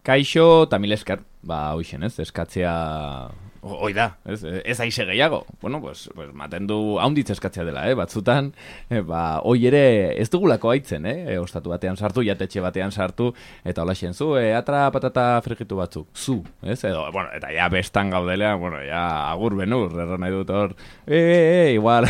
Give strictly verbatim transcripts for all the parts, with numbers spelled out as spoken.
Kaixo, eta mil esker, ba, hoixen, ez, eskatzea... Hoi da, ez, ez aixe gehiago. Bueno, pues, pues maten du haunditz eskatzea dela, eh? Batzutan, eh, ba, hoi ere ez dugulako haitzen, eh? E, ostatu batean sartu, jatetxe batean sartu, eta hola zu, e, atra patata frigitu batzuk, zu, ez? Edo, bueno, eta ja bestan gaudelean, bueno, ja agur benur, erran nahi dut hor, e, e, e, igual,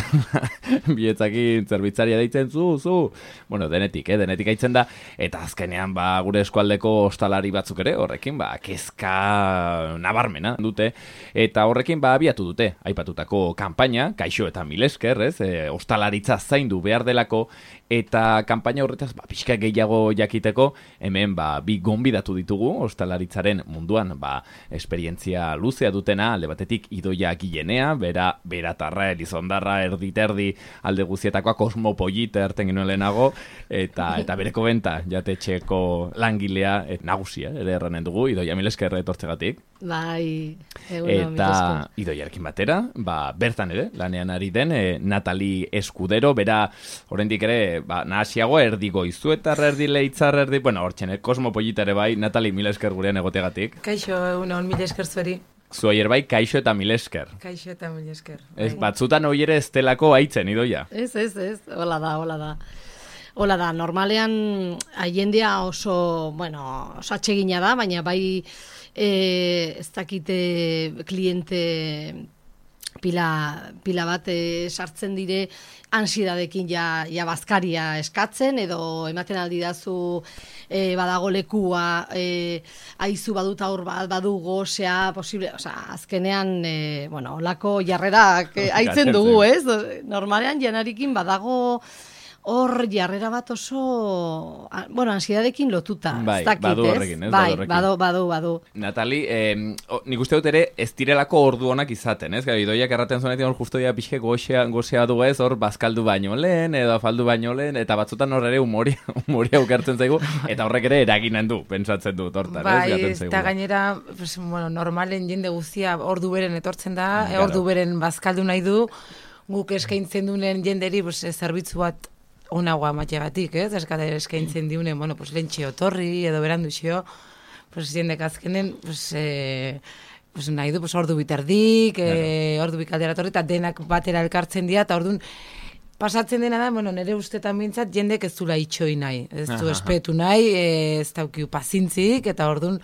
bietzakin zerbitzaria deitzen, zu, zu, bueno, denetik, eh? Denetik haitzen da, eta azkenean, ba, gure eskualdeko ostalari batzuk ere, horrekin, ba, kezka nabarmena dute, eta horrekin ba abiatu dute, aipatutako kanpaina, kaixo eta mil esker, ez, e, ostalaritza zaindu behar delako, eta kanpaina horretaz ba, pixka gehiago jakiteko, hemen ba, bi gonbidatu ditugu, ostalaritzaren munduan, ba, esperientzia luzea dutena, alde batetik Idoia Gilenea, bera, beratarra, elizondarra, erditerdi, alde guzietakoa, kosmopolita erten genuen lehenago, eta, eta bereko benta, jatetxeko langilea, et, nagusia, ere erranen dugu, Idoia, mil esker etortzegatik. Bai, egun eta Idoiarekin batera, ba, bertan ere, lanean ari den, e, Natali Eskudero, bera, oraindik ere, ba, nahasiago erdi goizuetar, erdi leitzar, erdi, bueno, hortxen, eh, kosmopolita ere bai, Natali, mil esker gurean egotegatik. Kaixo, egun hon, mil esker zueri. Zuai bai, kaixo eta mil esker. Kaixo eta mil esker. Ez, batzutan hoi ere estelako haitzen, Idoia. Ez, ez, ez, hola da, hola da. Hola da, normalean jendea oso, bueno, oso atsegina da, baina bai e, ez dakite kliente pila, pila bat e, sartzen dire ansiedadekin ja, ja bazkaria eskatzen, edo ematen aldi dazu e, badago lekua, e, aizu badut aur bat, badu gozea, posible, osea, azkenean, e, bueno, olako jarrerak e, aitzen dugu, ez? Normalean janarikin badago hor jarrera bat oso, bueno, ansiedadekin lotuta. Bai, dakit, badu horrekin, ez? Bai, badu, badu, badu, badu. Natali, eh, oh, nik uste dut ere ez direlako ordu honak izaten, ez? Gara, Idoiak erraten zuenetik hor justo ya pixke gozea, gozea du ez, hor bazkaldu baino lehen, edo afaldu baino lehen, eta batzutan hor ere humoria, humoria ukertzen zaigu, eta horrek ere eraginen du, pentsatzen du, tortan, bai, ez? Bai, eta gainera, pues, bueno, normalen jende guztia ordu beren etortzen da, claro. Ordu beren bazkaldu nahi du, guk eskaintzen duen jenderi, pues, zerbitzu bat onagoa mateagatik, ez? Eskate eskaintzen diunen, bueno, pues lentxe otorri, edo berandu xio, pues jendek azkenen, pues, eh, pues nahi du, pues ordu biterdik, claro. eh, ordu bikaldera torri, eta denak batera elkartzen dira, eta orduan, pasatzen dena da, bueno, nire ustetan bintzat, jendek ez dula itxoi nahi, ez du espetu nahi, eh, ez daukiu pazintzik, eta orduan,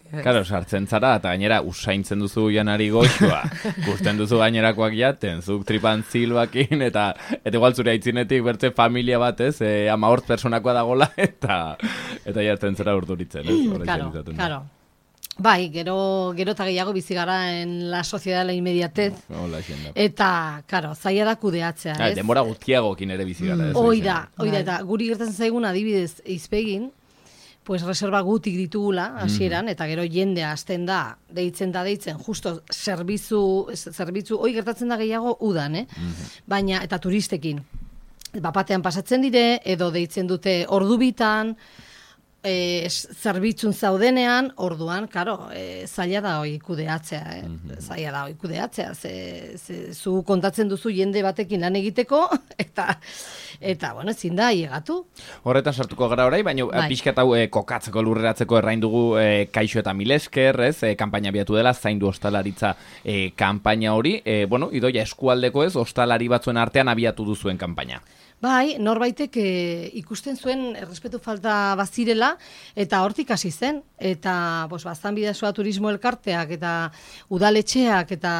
Karo, sartzen zara, eta gainera usaintzen duzu janari goxua, gusten duzu gainerakoak jaten, zuk tripan zilbakin, eta eta igual zure aitzinetik bertze familia bat, ez, e, ama hort personakoa dagola, eta eta jartzen zara urduritzen, ez? Karo, karo. Bai, gero, gero eta gehiago bizi gara en la sociedad la inmediatez, Hola, eta, karo, zaila da kudeatzea, ez? Ah, denbora guztiagokin ere bizi gara, ez? Hoi da, hoi da, eta guri gertatzen zaigun adibidez izpegin, pues reserva gutik ditugula hasieran, mm. eta gero jendea hasten da, deitzen da deitzen, justo zerbitzu, zerbitzu, hoi gertatzen da gehiago udan, eh? Mm-hmm. Baina, eta turistekin, bapatean pasatzen dire, edo deitzen dute ordu bitan, e, zerbitzun zaudenean, orduan, karo, e, zaila da hoi kudeatzea, eh? Mm-hmm. Zaila da hoi kudeatzea, ze, ze, zu kontatzen duzu jende batekin lan egiteko, eta Eta, bueno, ezin da, hiegatu. Horretan sartuko gara orai, baina bai. Pixkat hau e, kokatzeko lurreratzeko errain dugu e, kaixo eta mil esker, ez, e, kanpaina biatu dela, zaindu ostalaritza e, kanpaina hori. E, bueno, Idoia eskualdeko ez, ostalari batzuen artean abiatu duzuen kanpaina. Bai, norbaitek e, ikusten zuen errespetu falta bazirela, eta hortik hasi zen. Eta, bos, baztan bidazoa turismo elkarteak, eta udaletxeak, eta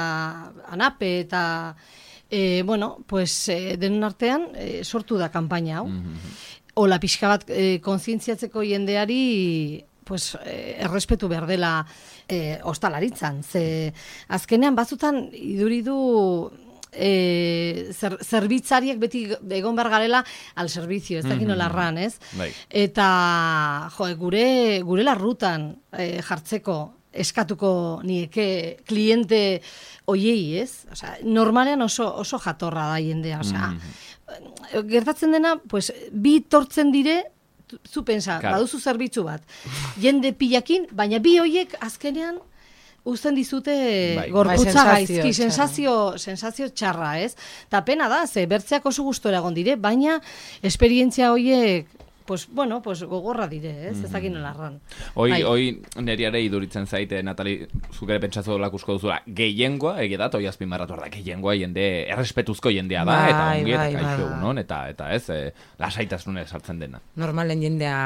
anape, eta... E, bueno, pues e, denon artean e, sortu da kanpaina hau. Mm-hmm. Ola pixka bat e, kontzientziatzeko jendeari pues, e, errespetu behar dela e, ostalaritzan. Ze azkenean batzutan iduridu e, zer, zerbitzariak beti egon behar garela al servizio, ez dakit nola erran, ez? Bai. Eta jo, gure, gure larrutan e, jartzeko eskatuko nieke kliente oiei, ez? Osea, normalean oso, oso jatorra da jendea, osea, mm-hmm. gertatzen dena, pues, bi tortzen dire, zu pensa, claro. Baduzu zerbitzu bat, jende pilakin, baina bi hoiek azkenean uzten dizute bai. Gorputza bai, gaizki, sensazio, sensazio txarra, ez? Ta pena da, ze bertzeak oso gustora egon dire, baina esperientzia hoiek pues, bueno, pues gogorra dire, ez? Ez dakit nola erran. Hoi, Bai. hoi neriare iduritzen zaite, Natali, zuk ere pentsatzu lakusko duzula, gehiengoa, egia da, toi azpimarratu da, gehiengoa jende, errespetuzko jendea da, eta Bai, ongi, eta bai, kaixo bai. egunon, eta, eta ez, e, lasaitasunez sartzen dena. Normalen jendea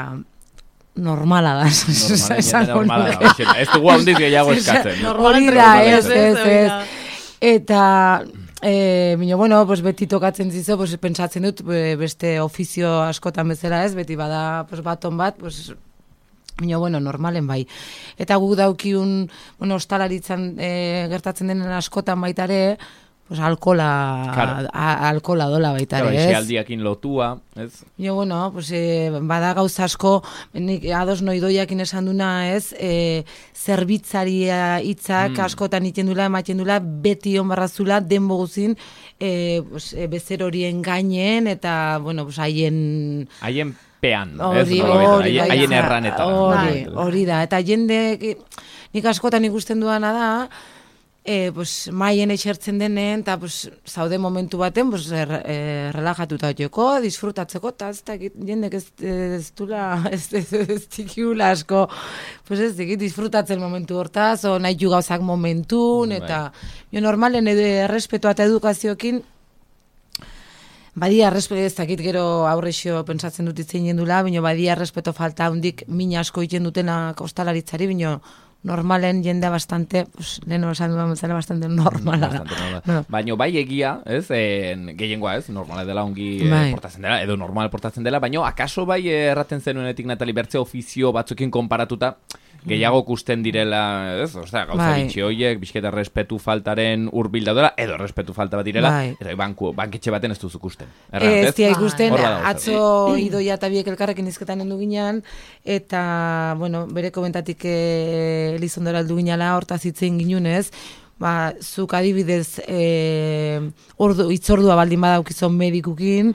normala da. Normalen jende esango normala nuke. da, hoxena. Ez dugu handiz gehiago eskatzen. Hori da, ez, ez, hori ez. da. Eta, e, bino, bueno, pues beti tokatzen zizo, pues pentsatzen dut, be- beste ofizio askotan bezala ez, beti bada pues, baton bat, pues, bino, bueno, normalen bai. Eta guk daukiun, bueno, ostalaritzan e, gertatzen denen askotan baitare, pues alkola, Claro. a, alkola dola baitare, Claro, ez? esialdiakin lotua, ez? Jo, bueno, pues, e, bada gauza asko, nik ados noidoiakin esan duna, ez, e, zerbitzaria hitzak Mm. askotan iten dula, ematen dula, beti onbarrazula, denbo guzin, e, pues, e, bezer horien gainen, eta, bueno, pues, haien... Haien pean, ez? Hori, Nolabait, hori, haien- bai, haien ja, erranetan. Hori, Bai. hori da. Eta jende, nik askotan ikusten duana da, e, pues, maien esertzen denen, eta pues, zaude momentu baten, pues, er, e, relajatuta joko, disfrutatzeko, eta ez dakit, jendek ez, ez dula, ez, ez, ez dikiula asko, pues ez dakit, disfrutatzen momentu hortaz, o nahi gauzak momentun, Bai. eta jo normalen edo errespetua eta edukaziokin, badia errespeto ez dakit gero aurrexio pentsatzen dut itzen jendula, bino badia errespeto falta hundik min asko iten dutena ostalaritzari, bino normalen jendea bastante, pues, leheno esan duan bezala bastante normala da. Bastante normala. Bueno. Baino bai egia, ez, en, gehiengoa ez, normala dela ongi eh, Bai. portatzen dela, edo normal portatzen dela, baino akaso bai eh, erraten zenuenetik Natali bertze ofizio batzukin konparatuta, gehiago kusten direla, ez, osea, gauza Bai. bitxi hoiek, bizketa respetu faltaren hurbil daudela, edo respetu falta bat direla, Bai. eta banku, banketxe baten ez duzu kusten. Ez Erran, dia ikusten, Hor badago zer. atzo idoia eta biek elkarrekin izketan endu ginean, eta, bueno, bere komentatik e, Elizondora aldu ginala, hortaz hitzein ginunez, ba, zuk adibidez e, ordu, itzordua baldin badaukizon medikukin,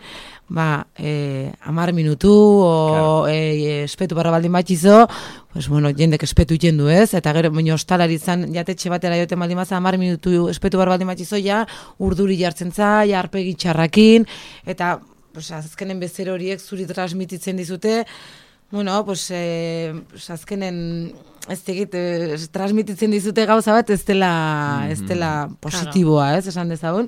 ba, e, amar minutu, o Claro. e, espetu barra baldin batxizo, pues, bueno, jendek espetu iten du ez, eta gero, baina ostalaritzan jatetxe batera joten baldin baza, amar minutu espetu barra baldin batxizo, ja, urduri jartzen za, ja, arpegi txarrakin, eta, pues, azkenen bezer horiek zuri transmititzen dizute, bueno, pues, eh, pues azkenen, ez tegit, eh, transmititzen dizute gauza bat, ez dela, ez dela positiboa, ez, esan dezagun.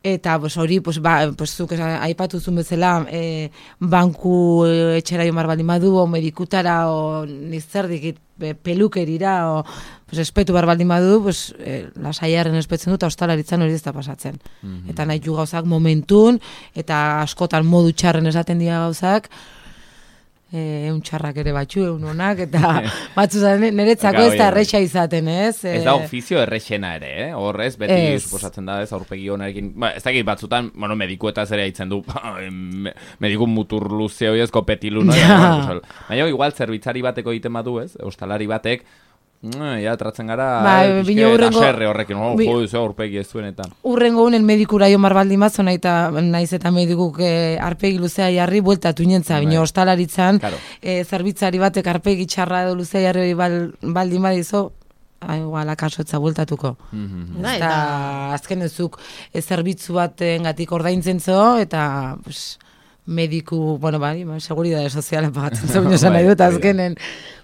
Eta pues, hori, pues, ba, pues, zuk esan- aipatu zuen bezala, e, banku e, etxera jomar baldin badu, o medikutara, o nizerdikit pe- pelukerira, o pues, espetu bar baldin badu, pues, e, lasaiaren espetzen dut, eta ostalaritzan hori ez da pasatzen. Eta nahi du gauzak momentun, eta askotan modu txarren esaten dira gauzak, eh, eun txarrak ere batxu, eun onak, eta batzu zaren, niretzako ez da erresa izaten, ez? Ez da ofizio errexena ere, eh? Horrez, beti Ez. suposatzen da, ez, aurpegi honarekin, ba, ez dakit batzutan, bueno, medikuetaz ere haitzen du, me- mediku mutur luze hoi ezko petilu, no? Ja. Baina, baina, igual, zerbitzari bateko egiten badu, ez? Ostalari batek, mm, ja, tratzen gara, Bai, eh, bino pixke hurrengo- haserre horrekin, oh, bi- jo, ze aurpegi ez duen eta. Urrengo unen medikura jo marbaldi mazo, nahi eta, naiz eta medikuk eh, arpegi luzea jarri, bueltatu inentza, Bai. bino ostalaritzan, Claro. eh, zerbitzari batek arpegi txarra edo luzea jarri hori bal, baldin badizo, ah, igual, akaso etza bueltatuko. Mhm. Da, Eta eta azken ezuk e, zerbitzu batengatik ordaintzen zo, eta pues, mediku, bueno, bai, ba, seguridade soziala pagatzen zo, bino esan nahi dut, Bai, hori da. azkenen,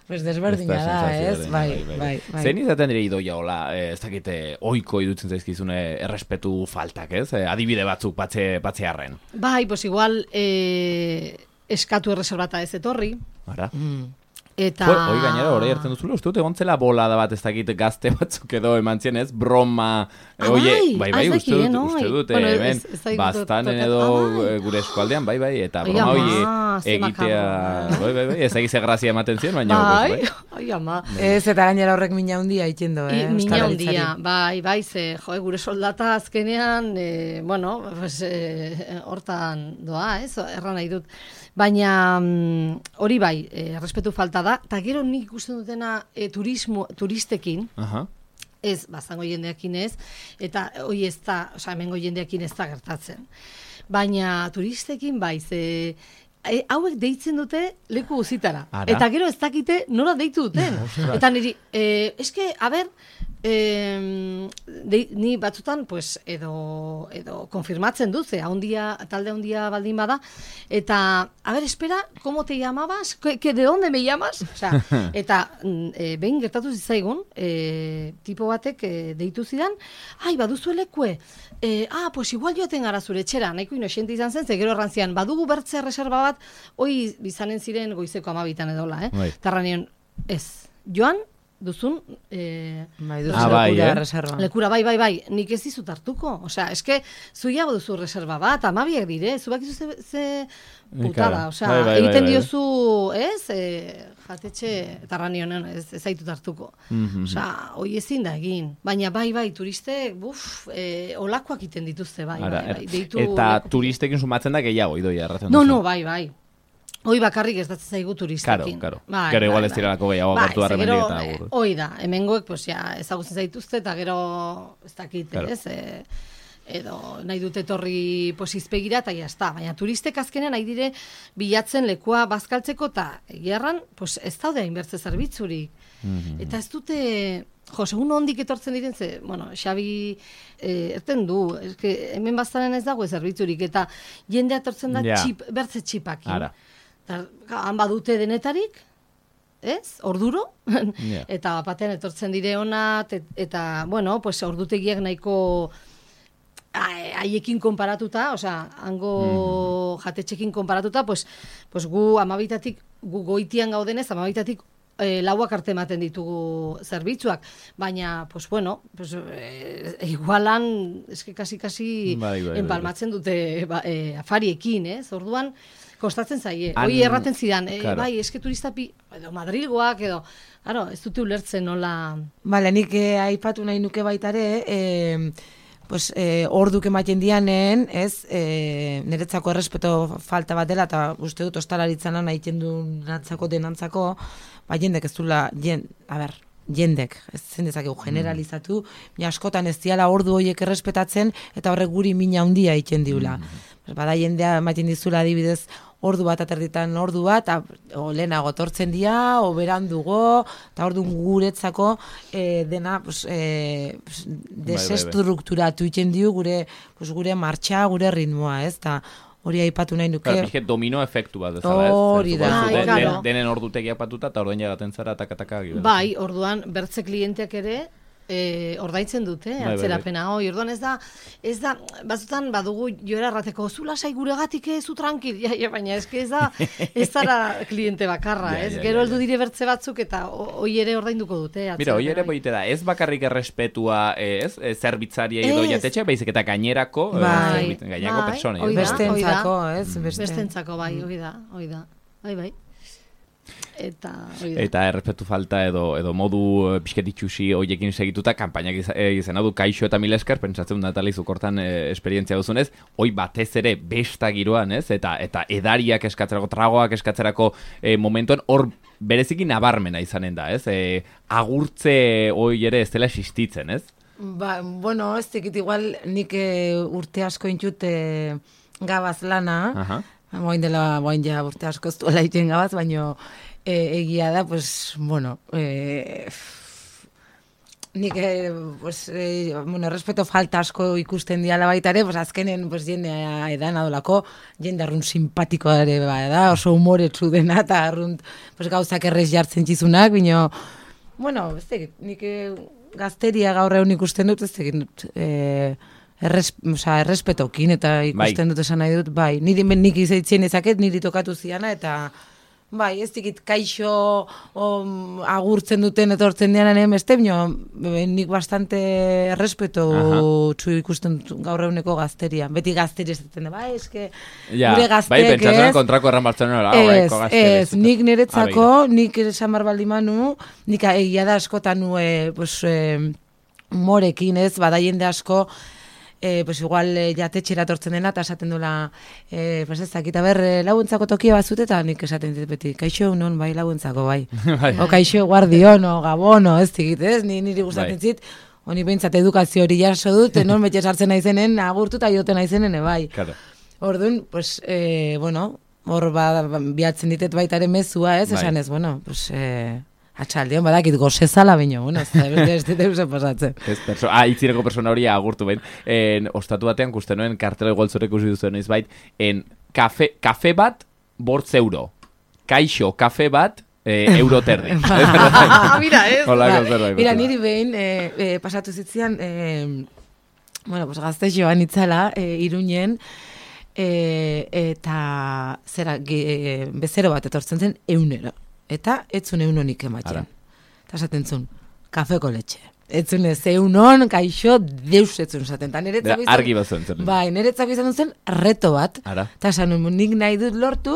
pues desberdina Ez da da, sentsazioa ez? dena, Bai, bai, bai. Zein izaten dira idoia hola, eh, ez dakite, oiko idutzen zaizkizune errespetu faltak, ez? Eh, adibide batzuk patxe, patxearren. bai, pues igual eh, eskatu erreserbata ez etorri, Ara? Mm. eta... Jo, hoi gainera, hori hartzen duzula, uste dut egon zela bolada bat ez dakit gazte batzuk edo eman zien, ez? Broma, eh, Ah, oie, bai, bai, ah, bai, ez uste dakit, dut, no? uste dut, Bueno, eh, ez- hemen, ez dakit bastanen tokat- edo ah, bai. eh, gure eskualdean, bai, bai, eta Ai, broma ama, hoi ze egitea, makarra. bai, bai, bai, ez dakit ze grazia ematen zien, baina, Bai, pues, bai. ai ama. Ez, eta gainera horrek mina handia itendo, eh? I, mina ostalaritzari. handia, bai, bai, ze, jo, gure soldata azkenean, e, bueno, pues, e, hortan doa, ez, erran nahi dut. Baina mm, hori bai, e, errespetu falta da, eta gero nik ikusten dutena e, turismo, turistekin, Aha. ez, bazango jendeakin ez, eta hoi ez da, oza, hemengo jendeakin ez da gertatzen. Baina turistekin bai, ze, e, hauek deitzen dute leku guzitara. Ara. Eta gero ez dakite nola deitu duten. Eta niri, e, eske, a ber, E, de, ni batzutan pues, edo, edo konfirmatzen dut, ze haundia, talde handia baldin bada, eta, a ver, espera, ¿cómo te llamabas? ¿Que, que de dónde me llamas? O sea, eta e, behin gertatu zitzaigun, e, tipo batek e, deitu zidan, ai, baduzu elekue, e, ah, pues igual joaten gara zure etxera, nahiko inoxente izan zen, ze gero errantzian, badugu bertze reserva bat, hoi bizanen ziren goizeko amabitan edola, eh? Bai. Tarra nion, ez, joan, duzun eh, bai, duzu ah, bai, lekura eh? reserva. lekura, bai, bai, bai, nik ez dizut hartuko. Osea, eske, zuiago duzu reserva bat, amabiak dire, zu bakizu ze, ze putada, osea, Bai, bai, bai, egiten bai, bai. diozu, ez, e, jatetxe, tarranionen, ez, ez zaitut hartuko. Mhm. Osea, hoi ezin da egin. Baina, bai, bai, turistek, buf, e, olakoak egiten dituzte, bai, Ara, bai, bai, er- deitu eta lekutik. turistekin sumatzen da gehiago, idoia, erratzen No, duzu. no, bai, bai. Hoi bakarrik ez datzen zaigu turistekin. Karo, karo. Bai, Gero igual bai, ez direlako bai. gehiago Bai, gertu ze harremenik gero, eta eh, agur. hoi da, hemengoek pues, ja, ezagutzen zaituzte eta gero ez dakit, Claro. ez? E, edo nahi dute etorri pues, izpegira eta jazta. Baina turistek azkenean nahi dire bilatzen lekua bazkaltzeko eta egiarran pues, ez daude hainbertze zerbitzurik. Mhm. Eta ez dute... Jo, segun ondik etortzen diren, ze, bueno, Xabi eh, erten du, eske, hemen baztaren ez dago zerbitzurik, eta jendea etortzen da Ja. txip, bertze txipakin. Ara. Eta, han badute denetarik, ez, orduro, Ja. eta batean etortzen dire ona, te- eta, bueno, pues, ordutegiak nahiko a- haiekin konparatuta, osea, hango jatetxekin konparatuta, pues, pues gu amabitatik, gu goitian gaudenez, amabitatik e, lauak arte ematen ditugu zerbitzuak, baina, pues bueno, pues, e, igualan, eske kasi-kasi Bai, bai, bai, enpalmatzen dute ba, e, afariekin, ez? Orduan, kostatzen zaie. Han- Hoi erraten zidan, e, Claro. bai, eske turista pi, edo Madrilgoak, edo, claro, ez dute ulertzen nola... Bale, nik eh, aipatu nahi nuke baitare, eh, pues, eh, orduk ematen dianen, ez, eh, niretzako errespeto falta bat dela, eta uste dut ostalaritzan lan egiten du nantzako denantzako, ba, jendek ez dula, jen, a ber, jendek, ez zen dezakegu generalizatu, mm. askotan ez diala ordu horiek errespetatzen, eta horrek guri mina handia egiten diula. Mm. Bada jendea ematen dizula adibidez, ordu bat aterditan ordu bat, a, o lehenago tortzen dira, o berandugo, eta ordu guretzako e, dena pues, e, pues, desestrukturatu egiten dio gure, pues, gure martxa, gure ritmoa, ez? Ta hori aipatu nahi nuke. Claro, pixket domino efektu bat bezala, ez? Hori da. Zuko, Bai, den- claro. den- denen ordutegiak patuta, eta orduan jagaten zara, takataka. Bai, orduan, bertze klienteak ere, e, ordaintzen dute, bai, bai. atzerapena hoi, orduan ez da, ez da, batzutan badugu joera errateko, zu lasai guregatik ez, zu tranquil, ja, ja, baina eske ez da, ez zara kliente bakarra, Ja, ez? ja, Gero ja, heldu ja. dire bertze batzuk eta ho- hoi ere ordainduko dute. Mira, hoi ere atzerapena hoi. boite da, ez bakarrik errespetua, eh, ez, eh, zerbitzaria edo Ez. jatetxe, baizik eta gainerako, eh, Bai. zerbit- gainerako Bai, pertsonei. hoi ez? da. Bestentzako, hoi da. ez? Beste. Bestentzako, bai, hoi da, hoi da. Bai, bai. Eta, hoi da. Eta errespetu falta edo edo modu eh, pixket itxusi hoiekin segituta kanpainak iza- eh, izena du Kaixo eta mila esker, pentsatzen Natali zukortan eh, esperientzia duzunez, hoi batez ere besta giroan, ez? Eta eta edariak eskatzerako, tragoak eskatzerako eh, momentuan hor bereziki nabarmena izanen da, ez? Eh, agurtze hoi ere ez dela existitzen, ez? Ba, bueno, ez tekit igual nik e, urte asko intut e, gabaz lana, Aha. moin dela, moin ja urte asko ez duela egiten gabaz, baino e, egia da, pues, bueno, e, nik, e, pues, e, bueno, respeto falta asko ikusten diala baita ere, pues, azkenen, pues, jendea edan adolako, jende arrun simpatikoa ere, ba, da, oso humoretsu dena, eta arrun, pues, gauzak errez jartzen txizunak, bino, bueno, ez tekit, nik e, gazteria gaur egun ikusten dut, ez tekit, e, erres, oza, errespetokin, eta ikusten dut esan nahi dut, bai, niri nik izaitzen ezaket, niri tokatu ziana, eta bai, ez dikit kaixo om, agurtzen duten etortzen dianan beste, bino, nik bastante errespeto txu ikusten dut gaur eguneko gazteria. Beti gazteria esaten da, bai, eske Ja, gure bai, gazteek pentsatzen ez. kontrako erran Bartzelonara, Ez, horreko gazteak ez, nik niretzako, nik esan bar baldin manu, nik egia da askotan nue, pues, eh, morekin ez, bada jende asko, eh, pues igual eh, jatetxera tortzen dena, eta esaten duela, eh, pues ez dakit, aber, eh, laguntzako tokia bazut, eta nik esaten dit beti, kaixo non, bai, laguntzako, bai. Bai. O kaixo guardiono, gabono, ez digit, ez, ni niri gustatzen Bai. zit, honi behintzat edukazio hori jaso dut, non betxe sartzen naizenen, agurtu eta joten naizenen, bai. Claro. Orduan, pues, eh, bueno, hor ba, biatzen ditet baita ere mezua, ez, Bai. esan ez, bueno, pues, eh, Atxaldean badakit gozezala baino, bueno, ez dut eusen pasatzen. Ez, perso ah, itzireko persona hori agurtu behin. En, ostatu batean, kusten noen, kartela goltzorek usi duzuen izbait, en, kafe, kafe bat, bortz euro. Kaixo, kafe bat, eh, euro terdi. Mira, ez. Mira, niri behin, eh, eh, pasatu zitzian, eh, bueno, pues gazte joan itzala, eh, Iruñen, eh, eta zera, ge, bezero bat etortzen zen eunero. Eta etzun eunonik ematen. Eta esaten zun, kafeko letxe. Etzun ez eunon, kaixo, deus etzun zaten. Argi bat zuen zen. Bai, niretzako izan zen reto bat. Eta esan, nik nahi dut lortu,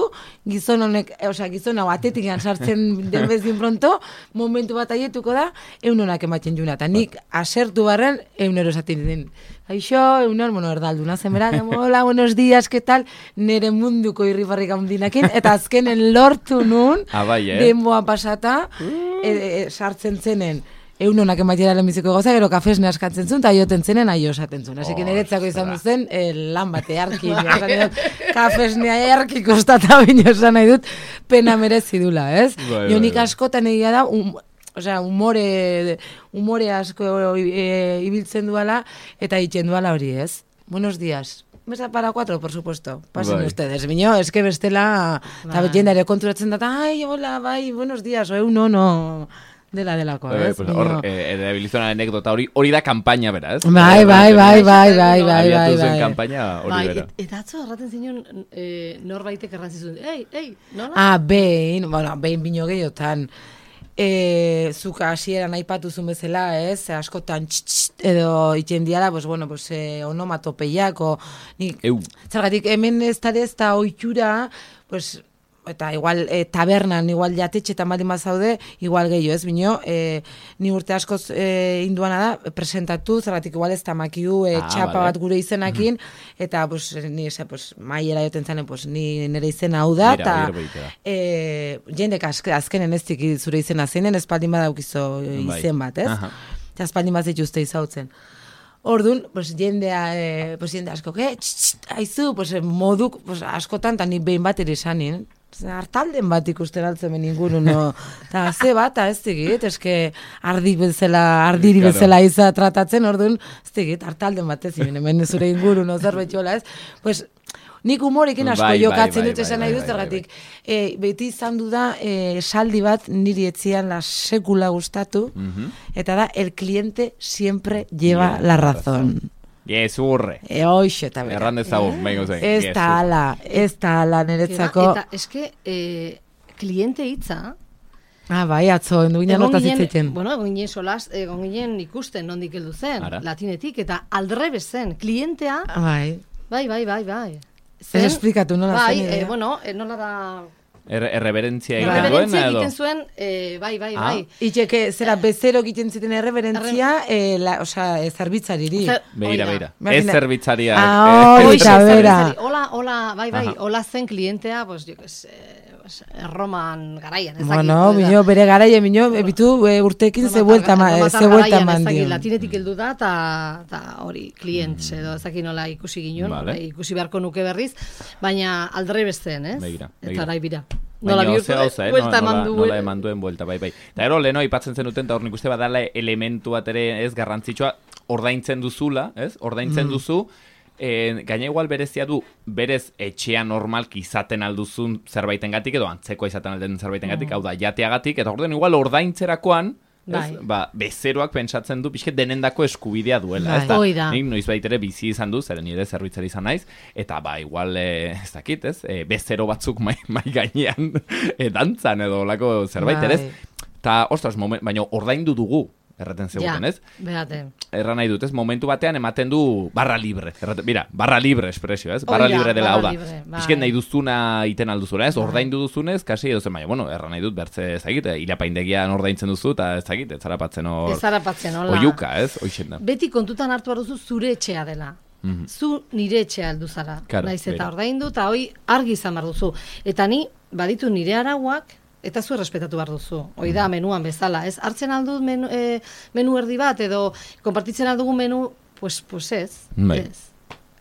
gizon honek, osea, gizon hau atetik sartzen den bezin pronto, momentu bat aietuko da, eunonak ematen juna. Eta nik asertu barren, eunero esaten den. Kaixo, eunon, bueno, erdalduna zenbera, hola, buenos días, ¿qué tal? Nere munduko irribarrik handinakin, eta azkenen lortu nun, ah, bai, eh? denboa pasata, uh. e, e, sartzen zenen, eunonak emaitera lehenbiziko goza, gero kafesne askatzen zuen, eta joten zenen aio esaten zuen. Asi que niretzako izan duzen, eh, lan bate arki, kafesnea arki kostata bino esan nahi dut, pena merezi dula, ez? Bai, Jonik bai, askotan egia da, um, osea, humore, humore asko e, ibiltzen duala, eta itzen duala hori, ez? Buenos días. Mesa para cuatro, por supuesto. Pasen bai. Ustedes. Miño, es que bestela, eta bai. Jendare konturatzen data, ai, hola, bai, buenos días, o no, no... Dela delako, eh, ez? Pues hor, eh, erabilizona anekdota hori, hori da kanpaina bera, ez? Bai, bai, bai, bai, bai, bai, bai, bai. kanpaina hori bera. Bai, eta atzo erraten zinon, eh, norbaitek errantzizun, ei, ei, nola? Ah, behin, bueno, behin bino gehiotan, eh, zuka hasieran aipatu zuen bezala, ez? Askotan txt, edo itzen diala, pues, bueno, pues, eh, onomatopeiak, o, nik, zergatik, hemen ez da ez da oitura, pues, eta igual e, tabernan, igual jatetxetan baldin bazaude, igual gehiago, ez bino, e, ni urte askoz e, induana da, presentatu, zergatik igual ez tamakiu e, ah, txapa vale. Bat gure izenakin, mm-hmm. eta pues, ni ese, pues, maiera joten zanen, pues, ni nire izena hau da, eta e, jendek azkenen ez tiki zure izena zeinen, espaldin badaukizo izen bat, ez? Eta espaldin bat zituzte izautzen. Orduan, pues, jendea, eh, pues, jende asko, eh, haizu, pues, moduk, pues, askotan, eta nik behin bat ere esanin, hartalden bat ikusten altzen inguru, no, eta ze bat, ez digit, eske ardi bezala, ardiri claro. Bezala iza tratatzen, orduan, ez digit, hartalden bat ez, hemen zure inguru, no, zerbait jola, ez, pues, nik humorekin asko bai, jokatzen bai, dut esan nahi dut, zergatik, bai, bai. e, beti izan du da, e, saldi bat niri etzian la sekula gustatu, uh-huh. eta da, el cliente siempre lleva yeah, la razón. Gezurre. E, hoxe, eta bera. Erran dezagun, behin zen. Ez da ala, ez da ala niretzako. Eta, eske, eh, kliente hitza, ah, bai, atzo, enduina notaz hitzeiten. Bueno, egon ginen solaz, egon ginen ikusten nondik heldu zen, Ara? Latinetik, eta aldrebes zen, klientea, bai, bai, bai, bai, bai. Ez esplikatu nola bai, zen. Bai, eh, bueno, eh, nola da... Er, erreberentzia egiten duen, erreberentzia egiten zuen, eh, bai, bai, ah. bai. Itxeke, zera, bezero egiten ziten erreberentzia, eh, la, osea, zerbitzariri. Beira, beira. Ez zerbitzaria. Ah, eh, oita, bera. Hola, hola, bai, bai, hola zen klientea, pues, jo, es, Erroman garaian, ezakit. Bueno, minio, bere garaia, minio, ebitu urtekin ze vuelta mandio. Latinetik heldu da, eta hori, klient, edo ezakit nola ikusi ginen, vale. Ikusi beharko nuke berriz, baina aldre besten, ez? Begira, begira. Eta rai bira. Nola bihurtu, eh? Buelta eman du. Nola eman duen buelta, bai, bai. Eta ero, leheno, ipatzen zen duten, eta hor nik uste badala elementu bat ere, ez, garrantzitsua, ordaintzen duzula, ez? Ordaintzen mm. duzu, E, gaina igual berezia du, berez etxea normalki izaten alduzun zerbaitengatik edo antzekoa izaten alden zerbaitengatik, mm. hau da, jateagatik, eta orduan igual ordaintzerakoan, ez, ba, bezeroak pentsatzen du, pixket denendako eskubidea duela, ez da, nik noiz baitere bizi izan du, zeren nire zerbitzari izan naiz, eta ba, igual, e, ez dakit, ez, e, bezero batzuk mai, mai gainean e, dantzan edo lako zerbait, ez, eta, ostras, moment, baina ordaindu dugu, erraten zeguten, ez? Behate. Erran nahi dut, ez? Momentu batean ematen du barra libre. Erraten, mira, barra libre espresio, ez? Barra Oida, libre dela, hau da. Bizken nahi duzuna iten alduzuna, ez? Ordaindu duzunez, kasi edo zen, baina, bueno, erran nahi dut, bertze ezagit, ilapaindegian ordaintzen duzu, eta ezagit, ez zarapatzen hor... Ez zarapatzen, hola. Oiuka, ez? Oixen da. Beti kontutan hartu behar duzu zure etxea dela. Mm-hmm. Zu nire etxea heldu zara. Claro, naiz eta ordaindu, eta hoi argi izan behar duzu. Eta ni, baditu nire arauak, eta zu errespetatu behar duzu. Hoi da, menuan bezala, ez? Hartzen aldut menu, e, menu erdi bat, edo konpartitzen aldugun menu, pues, pues ez. Bai. Ez.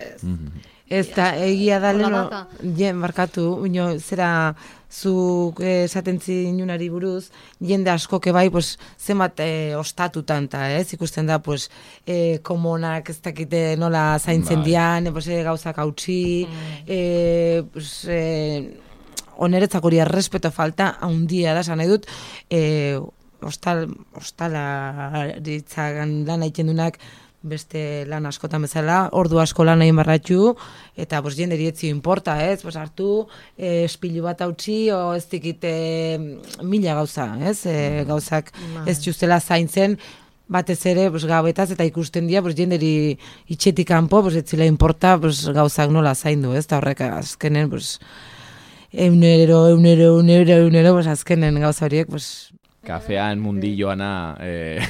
Ez. Mm-hmm. Ez da, egia da Hola leno, data. jen, barkatu, ino, zera, zuk esaten zinunari buruz, jende askoke bai, pues, zenbat eh, ostatutan, ta, ez, ikusten da, pues, eh, komonak ez dakite nola zaintzen Bai. dian, eh, pues, eh, gauzak hautsi, eh, pues, eh, oneretzak hori errespeto falta, haundia da, esan nahi dut, eh, ostal, ostalaritzagan lan egiten dunak, beste lan askotan bezala, ordu asko lan egin barratxu, eta bos, jenderi etzio importa, ez? Bos, hartu, e, espilu bat hautsi, o ez dikite mila gauza, ez? E, gauzak ez justela zaintzen, batez ere, bos, gabetaz, eta ikusten dira, bos, jenderi itxetik kanpo, bos, ez zila importa, bos, gauzak nola zaindu, ez? Eta horrek azkenen, bos, eunero, eunero, eunero, eunero, bos, azkenen gauza horiek, bos, Kafean mundilloana, eh,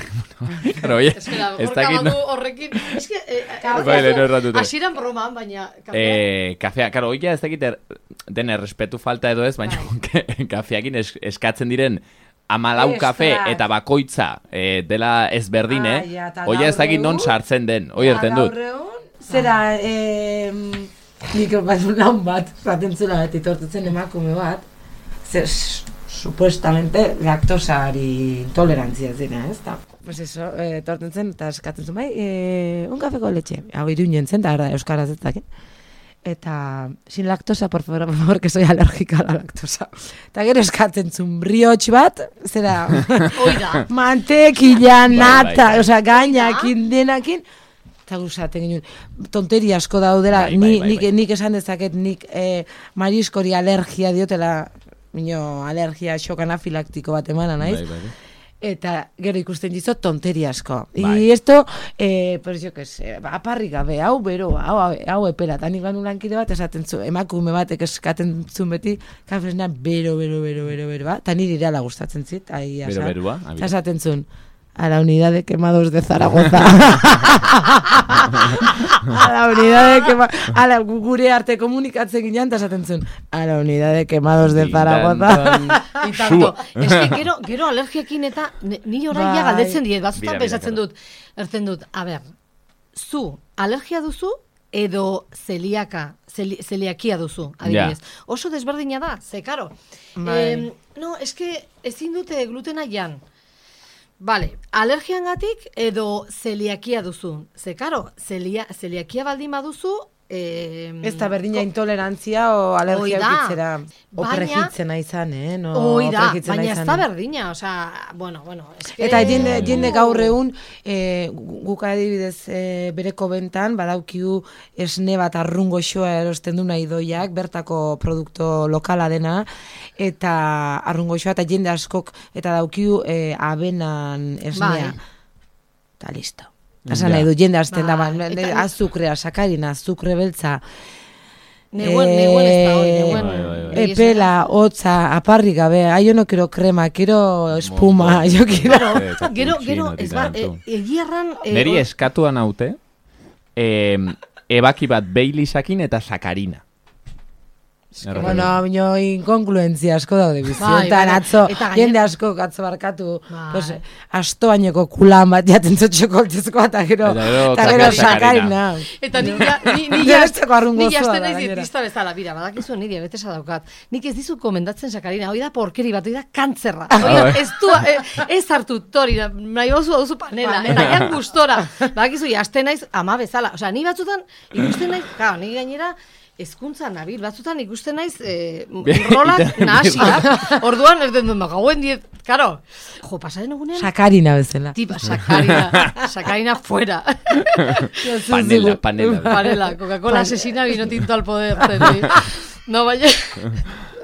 claro, oye, Espera, ez gorka dakit, badu horrekin. Es que, eh, Bai, lehenu erratute. hasieran broman, baina... kafea- Eh, kafea, claro, oia ez dakit er, den errespetu falta edo ez, baina kafeakin es, eskatzen diren amalau Extra. kafe eta bakoitza eh, dela ezberdine, Ah, ja, eta oia ez dakit gaur non egun- sartzen den, oi erten dut. Gaur egun, zera, eh, nik bat lan bat, zaten zula bat, itortutzen emakume bat, zer, supuestamente laktosari intolerantzia zena, ez da? Pues eso, eh, torten zen, eta eskatzen zuen, bai, eh, un kafeko letxe, hau iruñen zen, eta euskaraz ez dakit. Eta, sin lactosa, por favor, por favor, que soy alérgica a la lactosa. Eta gero eskatzen zuen brioche bat, zera, Hoi da. mantekila, Bai, nata, bai. osea, gainakin, denakin, eta guzaten ginen, tonteri asko daudela, Bai, bai, ni, bai, nik, bai. nik esan dezaket, nik eh, mariskori alergia diotela, mino, alergia xok anafilaktiko bat emana naiz, Bai, bai, bai. eta gero ikusten dizo tonteri asko. Bai. Y esto, eh, pues yo que sé, aparri gabe, hau bero, hau, hau, hau epela, eta nik banu lankide bat esaten zu, emakume batek eskaten zuen beti, kafesna bero, bero, bero, bero, bero, ba, eta niri irala gustatzen zit, ahi Bero, asa. berua, Eta abira. esaten zuen, a la unidad de quemados de Zaragoza. A la unidad de quemados, a la gure arte komunikatzen ginean, eta esaten zuen, a la unidad de quemados de Zaragoza. Y tanto. Es que gero, gero alergiakin eta ni- ni orain ja Bai. galdetzen diet, batzutan Bira, bira, pensatzen claro. dut, erten dut, a ber, zu alergia duzu edo zeliaka, zeli, zeliakia duzu, adibidez. Oso desberdina da, ze karo. Bai. Em, no, eske ezin dute glutena jan. Vale, alergiangatik edo zeliakia duzu. Ze karo, zelia, zeliakia baldin baduzu, eh, Ez da berdina intolerantzia o alergia Hoi da. eukitzera. O Baina- prejitzena izan, eh? No, Hoi da, prejitzena baina ez izan, da eh? berdina, osea, bueno, bueno, eske... Eta jende, jende gaur egun, e, guk adibidez e, bereko bentan, badaukiu esne bat arrungo xoa erosten duna idoiak, bertako produkto lokala dena, eta arrungo xoa, eta jende askok, eta daukiu e, abenan esnea. Bai. Eta listo. Esan Ja. nahi du, jende azten da, Bai, ba, eta- azukrea, sakarina, azukre beltza, Neguen, neguen ez da hori, Eh, neguen... bai, bai, bai. egia epela, hotza, aparri gabe, ah, yo no quiero crema, quiero espuma, Montón. yo quiero... Eh, eta esan. Gero, gero, cappuccino, ez ba, tanto. e, egiarran... e, Neri hor- eskatuan haute, eh, ebaki bat Baileysakin eta sakarina. Erraten Bueno, dut. bino, inkongluentzia asko daude Bai, bizioetan, bai, atzo, eta gainera- jende asko atzo barkatu, Bai. pues, astoaineko kulan bat jaten zotxoko altezkoa, eta gero, Eta gero eta gero sakarina. sakarina. Eta ni ja, ni, ni Nire ja, besteko arrungo ni osoa jasten da, naiz gainera. dietista bezala, bira, badakizu ni diabetesa daukat. Nik ez dizut komendatzen sakarina, hoi da porkeri bat, hoi da kantzerra. Hoi da, bai. ez du, eh, ez hartu tori, nahi bozu duzu panela, eta jan gustora. Badakizu, jasten naiz ama bezala. Osea, ni batzutan ikusten naiz, claro, ni gainera, hezkuntza nabil, batzutan ikusten naiz eh, rolak nahasiak. Orduan, ez den dut, gauen diet, karo, jo, pasaren egunean, Sakarina bezala. tipa, sakarina, sakarina fuera. Panela, panela. Panela, Coca-Cola asesina, vino tinto al poder. Zeri. No, baina,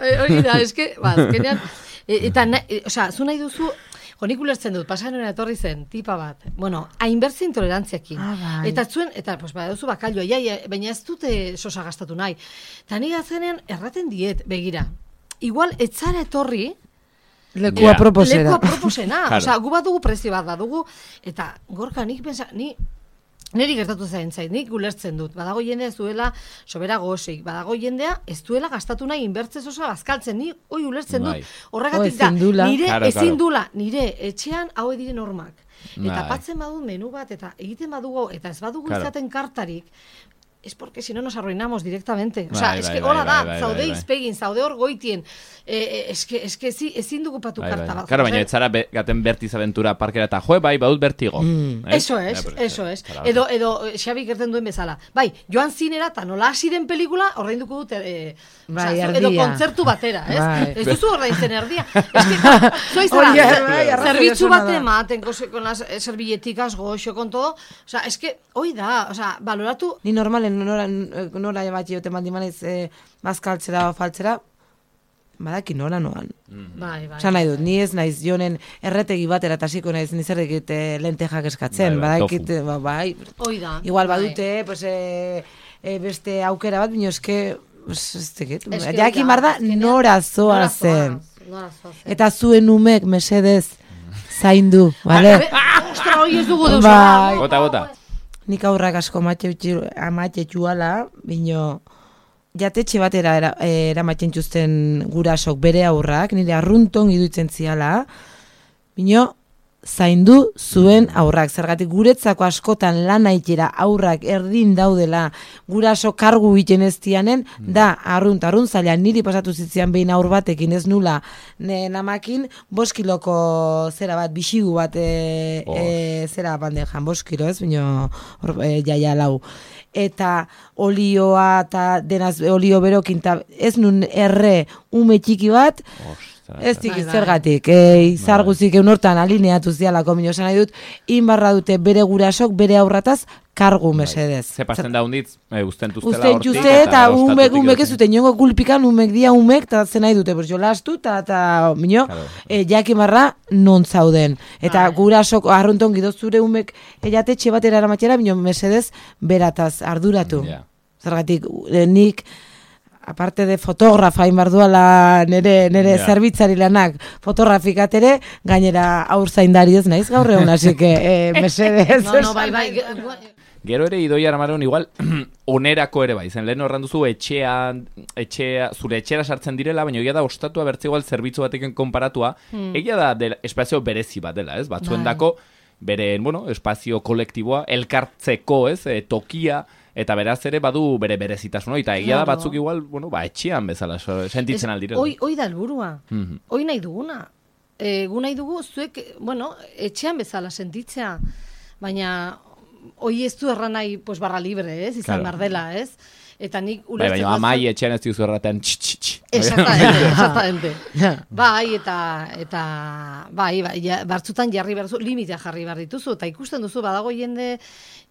eh, hori da, eske, ba, azkenean, e, eta, na, e, osea, zu nahi duzu, jo, nik ulertzen dut, pasaren etorri zen, tipa bat, bueno, hainbertze intolerantziakin. Ah, bai. Eta zuen, eta, pues, ba, duzu bakalloa, ja, ja, baina ez dute sosa gastatu nahi. Eta nik azkenean erraten diet, begira, igual, etzara etorri, Lekua Ja. proposera. lekua proposena. Claro. Osea, gu badugu prezio bat badugu, eta gorka nik pensa, ni niri gertatu zain zait, nik ulertzen dut. Badago jendea ez duela sobera gozik, badago jendea ez duela gastatu nahi inbertze osa bazkaltzen, ni hoi ulertzen Bai. dut. Horregatik da, ezin dula. nire Claro, ezin claro. dula, nire etxean hau diren normak. Eta Bai. patzen badut menu bat, eta egiten badugu, eta ez badugu Claro. izaten kartarik, es porque si no nos arruinamos directamente. O Bai, sea, bai, es que bai, hora bai, da, bai, zaude bai, bai. izpegin, zaude hor goitien. Eh, es que, es que ezi- ezin dugu patu Bai, karta bai. bat. Claro, jarri. baina ez zara be, gaten Bertiz aventura parkera eta joe, bai, baut bertigo. Mm. Eh? Eso es, Ja, pues, eso es. zara- Edo, edo eh, Xabi gerten duen bezala. Bai, joan zinera eta nola hasi den pelikula, ordainduko dute, eh, Bai, osea, zu- edo erdia. kontzertu batera, ez? Bai. Ez duzu ordaintzen erdia. Ez que, zoiz zara, Oye, zer- bai, arrazoi zerbitzu osona bat da. ematen, con, con las eh, servilleticas goxo, con todo. O sea, es que, hoi da, o sea, baloratu, Ni normalen nora, nora bat jote mandi manez e, bazkaltzera o faltzera, badaki nora noan. bai, bai. Osa nahi dut, ni ez naiz jonen erretegi batera eta hasiko naiz nizerrekit e, lentejak eskatzen, Bai, bai, badakit, tofu. ba, bai, Hoi da. igual bai. badute, pues, e, e, beste aukera bat, bino eske, pues, ez tekit, Es que jaki hoi da, marda azkenean, nora zoa nora zen. nora zoazen. Eta zuen umek mesedez zaindu, bale? Be- Ostra, hoi ez dugu deus. Bai. Bota, bota. Nik aurrak asko amatxe txuala, bino jatetxe batera era, eh, eramaten txuzten gurasok bere aurrak, nire arrunton iduitzen ziala, bino zaindu zuen aurrak. Zergatik guretzako askotan lan aitera aurrak erdin daudela guraso kargu egiten ez dianen, da arrunt, arrunt zaila niri pasatu zitzian behin aur batekin ez nula ne, namakin, boskiloko zera bat, bixigu bat e, e, zera bandejan, boskilo ez, bino hor, e, jaia lau. Eta olioa eta denaz olio berokin, ta ez nun erre ume txiki bat, Ostra, ez eta- dik Bai, bai. zergatik, e, izar guzik eunortan alineatu zialako, mino esan nahi dut, inbarra dute bere gurasok, bere aurrataz, kargu mesedez. Ze pasten da hunditz, e, usten tuztela Usten hortik. txuste eta gero umek, ostatutik umek ez edozein. zuten jongo kulpikan, umek dia umek, eta zen nahi dute, pues jolastu, eta, eta mino, Claro. e, jakimarra non zauden. Eta Bai. gurasok arrunton gidozure umek jatetxe batera eramatera, bino mesedez berataz arduratu. Ja. Zergatik, e, nik, aparte de fotografa inbarduala nere, nere Ja. zerbitzari lanak fotografikat ere, gainera aur zaindari ez naiz gaur egun, así que eh, mesedez. No, no, bai, bai. Gero ere Idoia Armaron igual onerako ere bai, zen lehen horran duzu etxean, etxea, zure etxera sartzen direla, baina egia da ostatua bertze igual zerbitzu batekin konparatua, egia da dela, espazio berezi bat dela, ez? Batzuendako bere, bueno, espazio kolektiboa, elkartzeko, ez? E, tokia, eta beraz ere badu bere berezitasuna, eta egia da Claro. batzuk igual, bueno, ba, etxean bezala so- sentitzen aldirela. Hoi, hoi da helburua. Mhm. Hoi nahi duguna. E, gu nahi dugu zuek, bueno, etxean bezala sentitzea, baina hoi ez du erran nahi, pues, barra libre, ez? Izan Claro. behar dela, ez? Eta nik Bai, ulertzen baina amai etxean ez diuzu erraten tx, tx, tx. Exactamente, exactamente. Bai, eta, eta bai, bai, ja, batzutan jarri behar duzu, limitea jarri behar dituzu, eta ikusten duzu, badago jende,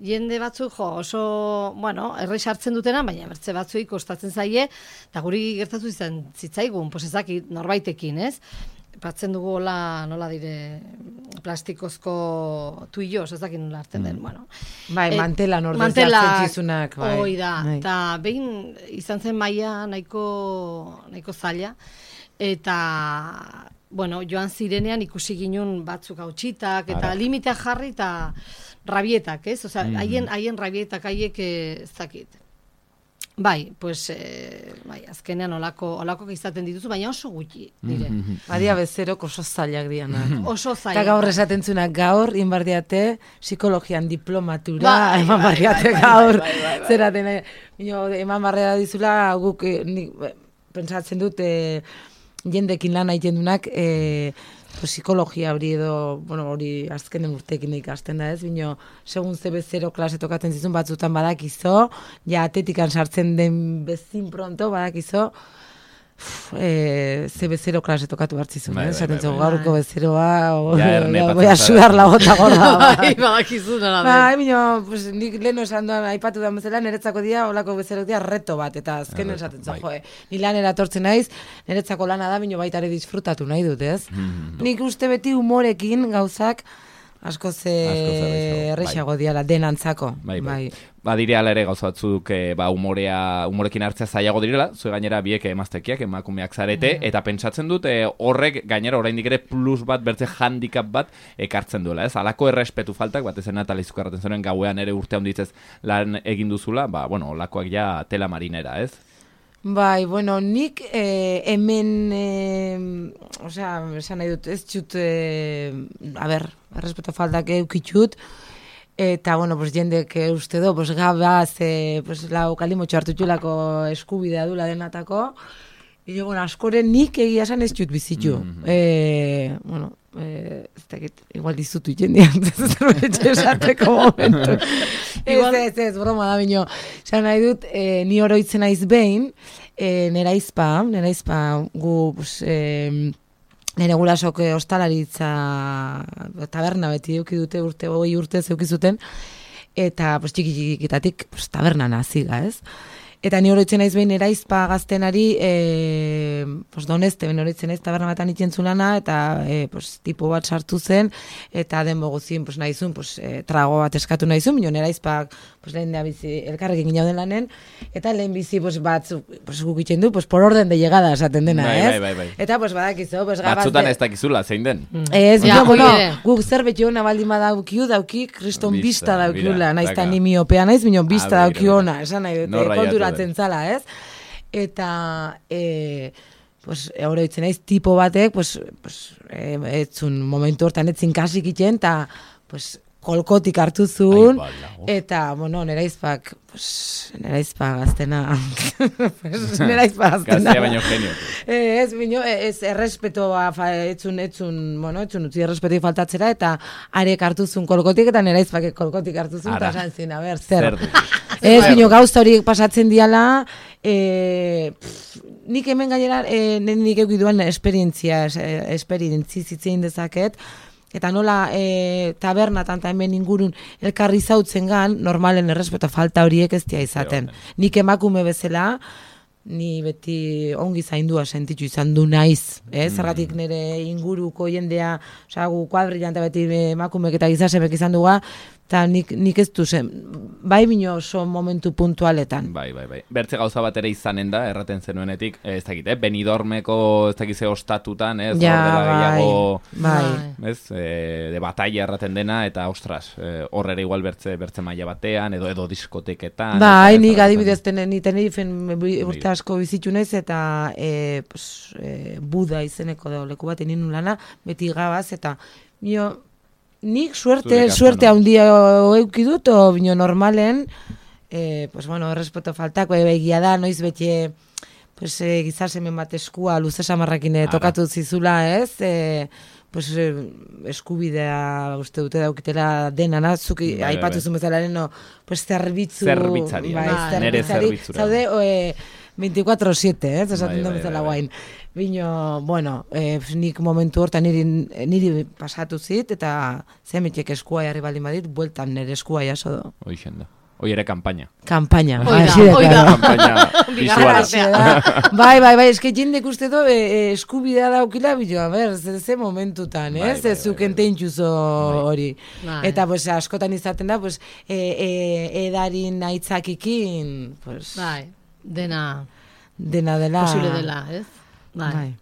jende batzuk, jo, oso, bueno, erre sartzen dutena, baina bertze batzuei kostatzen zaie, eta guri gertatu izan zitzaigun, pues ezakit, norbaitekin, ez? Batzen dugu hola, nola dire, plastikozko tuillos, ez dakit nola hartzen den, bueno. Bai, Eh, mantelan ordez mantelak, jartzen zizunak, bai. Hoi da, Bai. eta behin izan zen maila nahiko, nahiko zaila, eta, bueno, joan zirenean ikusi ginun batzuk hautsitak, eta Ara. limitea jarri eta rabietak, ez? Osea, Mhm. haien, haien rabietak haiek eh, ez dakit. Bai, pues, eh, bai, azkenean olako, olako izaten dituzu, baina oso gutxi, dire. Badia bezerok oso zailak dianak. Oso zaila. Eta gaur esaten zunak gaur, inbardiate, psikologian diplomatura, Bai, eman bai, barriate bai, gaur, bai, bai, bai. zeraten, eh, bino, eman barria dizula, guk, eh, nik, eh, pentsatzen dut, eh, jendekin lan egiten dunak, eh, pues, psikologia hori edo, bueno, hori azkenen urtekin ikasten da ez, bino, segun ze bezero klase tokatzen zizun batzutan badakizo, ja atetikan sartzen den bezin pronto badakizo, uf, eh, ze bezero klase tokatu hartzizun, Bai, eh? bai, Esaten bai, zu, bai. gaurko bezeroa, o, Ja, erne ja, patzen voy a zara. sudar la gota gorda. Bai, badakizu nola den. Bai, bino, pues, nik lehen esan duan aipatu da bezala, niretzako dia, olako bezerok dia reto bat, eta azken Erreto, esaten zu, bai. jo, eh, ni lanera etortzen naiz, niretzako lana da, bino baita ere disfrutatu nahi dut, ez? Nik uste beti humorekin gauzak asko ze errazago, errexago diala denantzako. Bai, bai. Ba, dire ala ere gauza batzuk e, ba, umorea, umorekin hartzea zailago direla, zue gainera biek emaztekiak, emakumeak zarete, eta pentsatzen dut e, horrek gainera oraindik ere plus bat, bertze handicap bat ekartzen duela, ez? Alako errespetu faltak, bat ezen natalizuk erraten zuen gauean ere urte handitzez lan egin duzula, ba, bueno, olakoak ja tela marinera, ez? Bai, bueno, nik eh, hemen, eh, osea, esan nahi dut, ez txut, eh, a ber, errespeto faltak eukitxut, Eta, bueno, pues, jendek eh, uste do, pues, gabaz, eh, pues, lau kalimotxo hartu txulako eskubidea dula denatako. Io, bueno, askoren nik egia esan ez dut bizitu. Mm -hmm. e, bueno, e, ez dakit, igual dizutu jendean, zerbetxe esateko momentu. ez, ez, ez, broma da bino. Esan nahi dut, e, ni oroitzen naiz behin, e, nera izpa, nera izpa, gu, pues, e, nire gurasok ostalaritza taberna beti euki dute urte, hogei urte zeukizuten, eta pues, txiki txikitatik pues, taberna naziga, ez? Eta ni oroitzen naiz behin eraizpa gaztenari, e, pues, donezte, ben oroitzen naiz taberna batan ikentzulana, eta e, pues, tipo bat sartu zen, eta denbo guzien pues, nahizun, pues, e, trago bat eskatu nahizun, bino eraizpak pues, lehen da bizi, elkarrekin ginauden lanen, eta lehen bizi pues, batzuk pues, gukitzen du, pues, por orden de llegada esaten dena, bai, ez? Bai, bai, bai. Eta pues, badakizu, pues, gabaz... Batzutan ez dakizula, zein den. Mm. Ez, ja, bueno, ere. guk zerbait jona baldin badaukiu, dauki, kriston Bista, bista daukiula, mira, naiz daka. ta ni miopea naiz, bino bista Ah, daukiu mira, ona, esan nahi dute, Nor raiatu konturatzen den. zala, ez? Eta, e, pues, oroitzen naiz, tipo batek, pues, pues, e, etzun momentu hortan etzin kasik iten, eta, pues, kolkotik hartu zuen, Ai, bala, oh. eta, bueno, nera izpak, pues, nera izpak gaztena, pues, nera izpak gaztena. Gaztea baino genio. Eh, ez, bino, ez errespetoa, fa, etzun, etzun, bueno, etzun utzi errespetik faltatzera, eta arek hartu zuen kolkotik, eta nera izpak kolkotik hartu zuen, eta esan zin, a ber, zer. Zer dut. Ez, bino, gauza horiek pasatzen diala, e, pff, nik hemen gainera, e, nik eukiduan esperientzia, esperientzi zitzein dezaket, eta nola e, tabernatan eta hemen ingurun elkarri zautzen gan, normalen errespeto falta horiek ez dia izaten. Nik emakume bezala, ni beti ongi zaindua sentitu izan du naiz, eh? Zergatik nire inguruko jendea, osea, gu kuadrillante beti emakumek eta gizasemek izan duga, eta nik, nik ez du zen, bai bino oso momentu puntualetan. Bai, bai, bai. Bertze gauza bat ere izanen da, erraten zenuenetik, ez dakit, eh? Benidormeko, ez dakit ze ostatutan, ez? Ja, Hor dela gehiago, bai. ez? E, de batalla erraten dena, eta ostras, e, hor ere igual bertze, bertze maila batean, edo edo diskoteketan. Bai, nik adibidez tenen, ni Tenerifen urte asko bizitu naiz, eta e, pues, e, Buda izeneko da leku bat egin lana, beti gabaz, eta bio, nik suerte, suerte handia euki dut, o bino normalen, eh, pues bueno, respeto faltak, egia da, noiz beti, pues eh, gizasemen bat eskua luze samarrakin tokatu zizula, ez? Eh, pues eh, eskubidea uste dute daukitela dena, nazuk aipatu zuen bezala, no, pues zerbitzu, zerbitzari, bai, bai, nere zerbitzura. Zaude, eh, veinticuatro siete, ez? Esaten Bai, duen bai, bezala bai, bai. guain. Bino, bueno, eh, nik momentu hortan niri, niri pasatu zit, eta zemetek eskua jarri baldin badit, bueltan nire eskua jaso do. Hoixen da. Hoi ere kampaina. Kampaina. Oida, hasi da, oida. claro. Kampaina visuala. Bai, bai, bai, eske jendek uste do, e, eskubidea daukila, bilo, a ber, ze, ze momentutan, Bai, ez? bai, Ez zuken bai, bai. teintxuzo hori. Bai. Eta, pues, askotan izaten da, pues, e, e, edarin aitzakikin, pues, Bai, dena dena dela. posible dela, ez? Bai. Bai.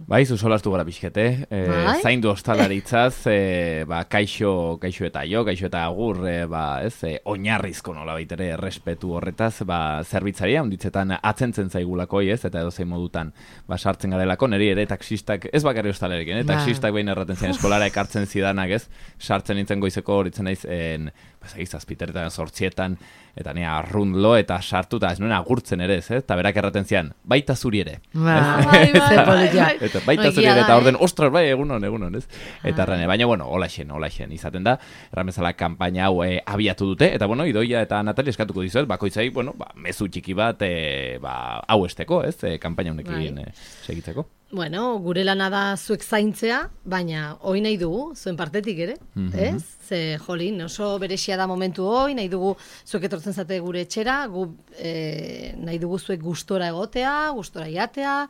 Bai, zu solastu gara pixkete, e, Bai. zaindu ostalaritzaz, e, ba, kaixo, kaixo eta jo, kaixo eta agur, e, ba, ez, e, oinarrizko nola baitere errespetu horretaz, ba, zerbitzaria, onditzetan atzentzen zaigulakoi, ez, eta edo zein modutan, ba, sartzen garelako, niri ere taxistak, ez bakarri ostalarekin, eh, Bai. taxistak behin erraten zen eskolara ekartzen zidanak, ez, sartzen nintzen goizeko horitzen naiz, en, ba, zazpiteretan, sortzietan, eta nea arrundlo, eta sartu, eta ez nuen agurtzen ere, ez, eta berak erraten zian, baita zuri ere. Bai, bai, bai, Ze bai, polita. bai. Eta baita No, zuri egia ere, da, eta eh? orden, ostras, bai, egunon, egunon, ez? Eta errane, baina, bueno, holaxen, holaxen izaten da, erramezala kanpaina hau e, abiatu dute, eta, bueno, Idoia eta Natalia eskatuko dizuet, bakoitzai, bueno, ba, mezu txiki bat, e, ba, hau esteko, ez, e, kanpaina honekin Bai. e, segitzeko. Bueno, gure lana da zuek zaintzea, baina hoi nahi dugu, zuen partetik ere, Mhm. ez? Ze, jolin, oso berexia da momentu hoi, nahi dugu zuek etortzen zate gure etxera, gu, e, nahi dugu zuek gustora egotea, gustora jatea,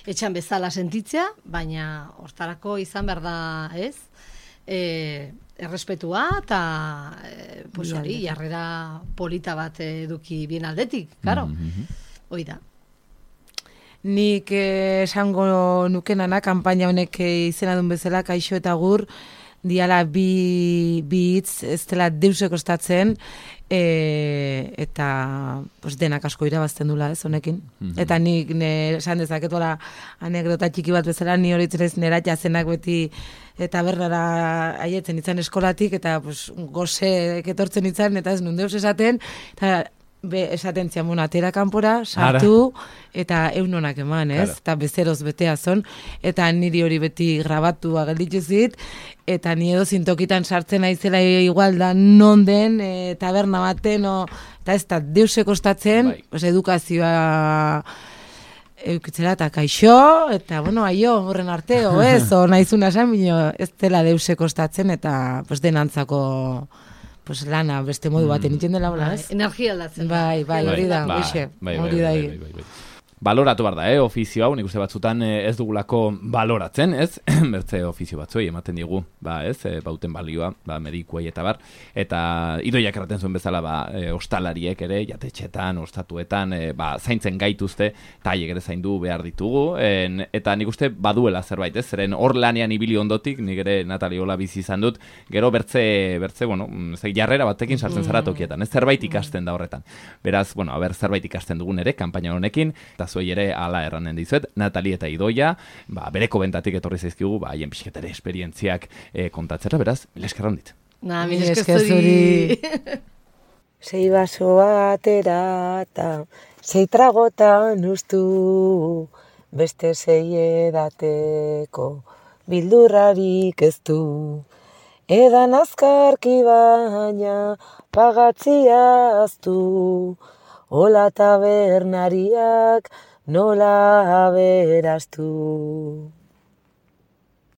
etxan bezala sentitzea, baina hortarako izan behar da, ez? E, errespetua eta e, pues Bi hori, aldetik. jarrera polita bat eduki bien aldetik, claro. Mhm. Hoi da. Nik eh, esango nukenana, kanpaina honek eh, izena duen bezala, kaixo eta gur, diala bi, bi hitz, ez dela deuse kostatzen, e, eta pues, denak asko irabazten dula, ez, honekin. Mm-hmm. Eta nik, ne, esan dezaketola anekdota txiki bat bezala, ni horitzen ez nera jazenak beti, eta bernara aietzen itzan eskolatik, eta pues, goze etortzen itzan, eta ez nun deus esaten, eta be, esaten ziamun atera kanpora, sartu, eta eunonak eman, ez? Claro. Eta bezeroz betea zon, eta niri hori beti grabatua gelditu zit, eta ni edo zintokitan sartzen aizela igual da non den, e, taberna baten, o, eta ez da deuse kostatzen, bai. Pues, edukazioa eukitzera eta kaixo, eta bueno, aio, horren arte, o ez, o naizuna esan, bino, ez dela deuse kostatzen, eta pues, denantzako pues lana beste modu baten iten dela hola, ez? Energia aldatzen. Bai, bai, hori da, hori da. Baloratu behar da, eh, ofizio hau, nik uste batzutan ez dugulako baloratzen, ez? Bertze ofizio batzuei ematen digu, ba, ez? E, bauten balioa, ba, medikuei eta bar. Eta idoiak erraten zuen bezala, ba, e, ostalariek ere, jatetxetan, ostatuetan, e, ba, zaintzen gaituzte, eta haiek ere zaindu behar ditugu. En, eta nik uste baduela zerbait, ez? Zeren hor lanean ibili ondotik, nik ere Natali hola bizi izan dut, gero bertze, bertze, bueno, zei, jarrera batekin sartzen zara tokietan, ez? Zerbait ikasten da horretan. Beraz, bueno, a ber, zerbait ikasten dugun ere, kanpaina honekin, eta zuei ere ala erranen dizuet, Natali eta Idoia, ba, bereko bentatik etorri zaizkigu, ba, haien pixketere esperientziak e, kontatzera, beraz, mil esker handit. Na, mil esker zuri. Sei baso atera eta sei tragotan ustu, beste sei edateko bildurrarik ez du. Edan azkarki baina pagatzia aztu, hola tabernariak nola aberaztu.